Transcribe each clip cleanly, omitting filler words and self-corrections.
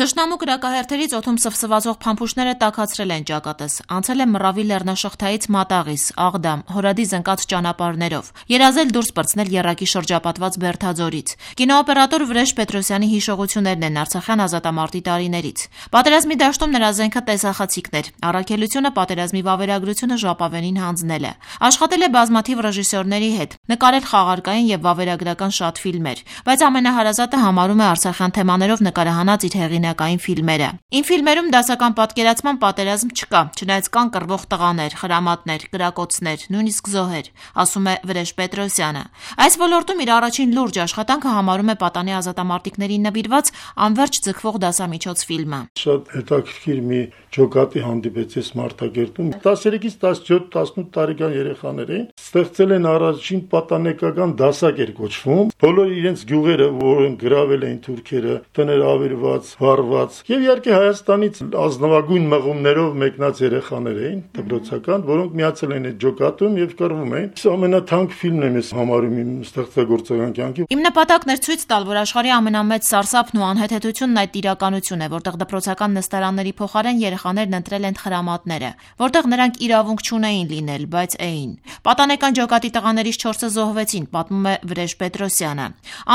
Թշնամու կրակահերթերից օդում սվսվածող փամփուշտները տաքացրել են ճակատս, անցել է Մռավի լեռնաշղթայից Մատաղիս, Աղդամ, Հորադի զնկած ճանապարհներով, երազել դուրս պրծնել եռակի շրջապատված Բերդաձորից։ Կինոօպերատոր Վրեժ Պետրոսյանի հիշողություններն են արցախյան ազատամարտի տարիներից։ Պատերազմի դաշտում նրա զենքը տեսախցիկն էր, առաքելությունը պատերազմի վավերագրությունը ժապավենին հանձնել է։ Աշխատել է բազմաթիվ ռեժիսորների հետ, նկարել խաղարկային եւ վավերագրական շատ ֆիլմեր, բայց ամենահարազատը համարում է արցախյան թեմաներով նկարահանած իր հեղինակային ֆիլմերը։ Իմ ֆիլմերում դասական պատկերացման պատերազմ չկա, չնայած կան կռվող տղաներ, խրամատներ, կրակոցներ, նույնիսկ զոհեր, ասում է Վրեժ Պետրոսյանը։ Այս ոլորտում իր առաջին լուրջ աշխատանքը համարում է Պատանի ազատամարտիկներին նվիրված Անվերջ ձգվող դասամիջոց ֆիլմը։ Շատ հետաքրքիր մի ջոկատի հանդիպեց այս Մարտակերտում 13-ից 17-18 տարեկան երեխաներ էին, ստեղծել են առաջին պատանեկական դասակ էր կոչվում, բոլոր իրենց գյուղերը, որոնք գրավել էին թուրքերը, տներ ավերված, վառված, եւ իհարկե Հայաստանից ազնվագույն մղումներով մեկնած երեխաներ էին, դպրոցական, որոնք միացել են այդ ջոկատում եւ կռվում էին։ Սա ամենաթանկ ֆիլմն է ես համարում իմ ստեղծագործական կյանքի։ Իմ նպատակն էր ցույց տալ, որ աշխարհի ամենամեծ սարսափն ու անհեթեթությունն այդ իրականություն է, որտեղ դպրոցական նստարանների փոխարեն երեխաներն ընտրել են խրամատները, որտեղ նրանք իրավունք չունեին լինել, բայց էին։ Պատանեկան ջոկատի տղաներից 4-ը զոհվեցին, պատմում է Վրեժ Պետրոսյանը։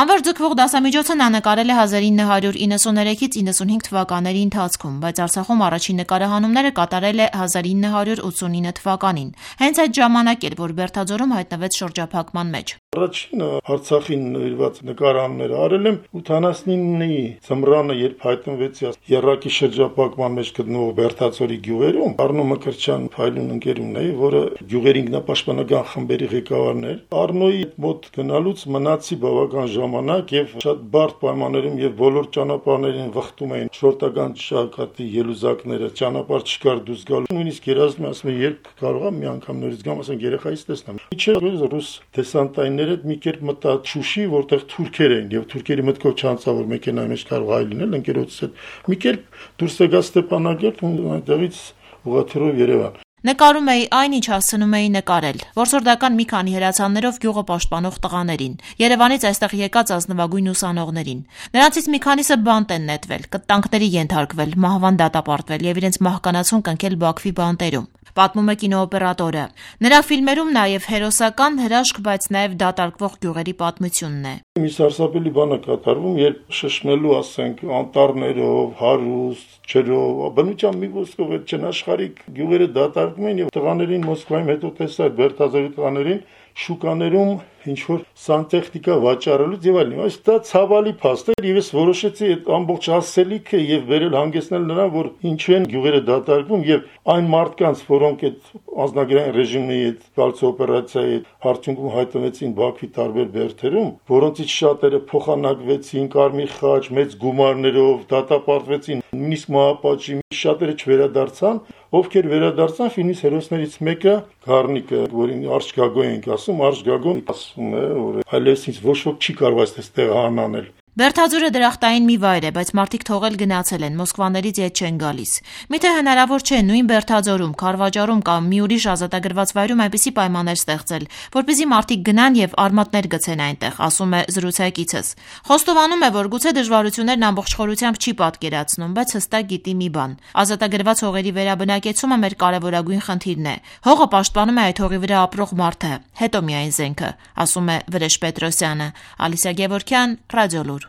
Անվերջ ձգվող դասամիջոցը նա նկարել է 1993-ից 95 թվականների ընթացքում, բայց Արցախում առաջին նկարահանումները կատարել է 1989 թվականին։ Հենց այդ ժամանակ էր, որ Բերդաձորում հայտնվեց շրջափակման մեջ։ Առաջինը Արցախին նվիրված նկարահանումները արել եմ 89-ի ձմռանը, երբ հայտնվեցի եռակի շրջափակման մեջ գտնվող Բերդաձորի գյուղերում, Արնո Մկրտչյան փայլուն ընկերումն է, որը գյուղերի ինքնապաշտպանական խմբերի ղեկավարն էր։ Արնոյի մոտ գնալուց մնացի բավական ժամանակ եւ շատ բարդ պայմաններում եւ բոլոր ճանապարհներին վխտում էին շորտական ճակատի ելուզակները, ճանապարհ չկար դուրս գալու։ Նույնիսկ երազում ասում եմ, երբ կարող եմ մի անգամ նորից գամ, ասենք երեխայից տեսնեմ։ Իջել ռուս դեսանտայինները մի կերպ մտա Շուշի, որտեղ թուրքեր էին եւ թուրքերի մտքով չանցա, որ մեքենայի մեջ կարող այլ լինել, ընկերոջս հետ մի կերպ դուրս եկա Ստեփանակերտ ու այնտեղից ուղղաթիռով Երևան։ Նկարում էի այն, ինչ հասցնում էի նկարել, որսորդական մի քանի հրացաններով գյուղը պաշտպանող տղաներին, Երևանից այստեղ եկած ազնվագույն ուսանողներին։ Նրանցից մի քանիսը բանտ են նետվել, կտանքների ենթարկվել, մահվան դատապարտվել եւ իրենց մահկանացուն կնքել Բաքվի բանտերում, պատմում է կինոօպերատորը։ Նրա ֆիլմերում նաեւ հերոսական հրաշք, բայց նաեւ դատարկվող գյուղերի պատմությունն է։ Մի սարսափելի բան է կատարվում, երբ շշմելու, ասենք, անտառներով, հարուստ, ջրով, բնության մի ոսկով այդ չնաշխարհիկ գյուղերը դատարկվում են եւ տղաներին Մոսկվայում հետո տեսա Բերդաձորի տղաներին շուկաներում ինչ որ սանտեխնիկա վաճառելուց եւ այլն։ Այս դա ցավալի փաստ է եւ ես որոշեցի այդ ամբողջ հասցելիքը եւ վերել հանգեցնել նրան, որ ինչու են գյուղերը դատարկվում եւ այն մարդկանց, որոնք այդ անձնագրային ռեժիմի այդ գալցի օպերացիայի արդյունքում հայտնվեցին Բաքվի տարբեր բերդերում, որոնցից շատերը փոխանակվեցին Կարմիր խաչ, մեծ գումարներով, դատապարտվեցին, նույնիսկ մահապատժի, շատերը չվերադարձան, ովքեր վերադարձան, ֆիլմից հերոսներից մեկը Գառնիկը, որին Արշ Գագոյ ենք ասում, Արշ Գագոն ասում է, որ այլևս ոչ ոք չի կարող այստեղ հանանել։ Բերդաձորը դրախտային մի վայր է, բայց մարդիկ թողել գնացել են, Մոսկվաներից ետ չեն գալիս։ Միթե հնարավոր չէ նույն Բերդաձորում, Քարվաճառում կամ մի ուրիշ ազատագրված վայրում այնպիսի պայմաններ ստեղծել, որպեսզի մարդիկ գնան եւ արմատներ գցեն այնտեղ, ասում է զրուցակիցս։ Խոստովանում է, որ գուցե դժվարություններն ամբողջ խորությամբ չի պատկերացնում, բայց հստակ գիտի մի բան. ազատագրված հողերի վերաբնակեցումը մեր կարևորագույն խնդիրն է։ Հողը պաշտպանում է այդ հողի վրա ապրող մարդը, հետո միայն զենքը, ասում է Վրեժ Պետրոսյանը։ Ալիսա Գևորգյան, Ռադիոլուր։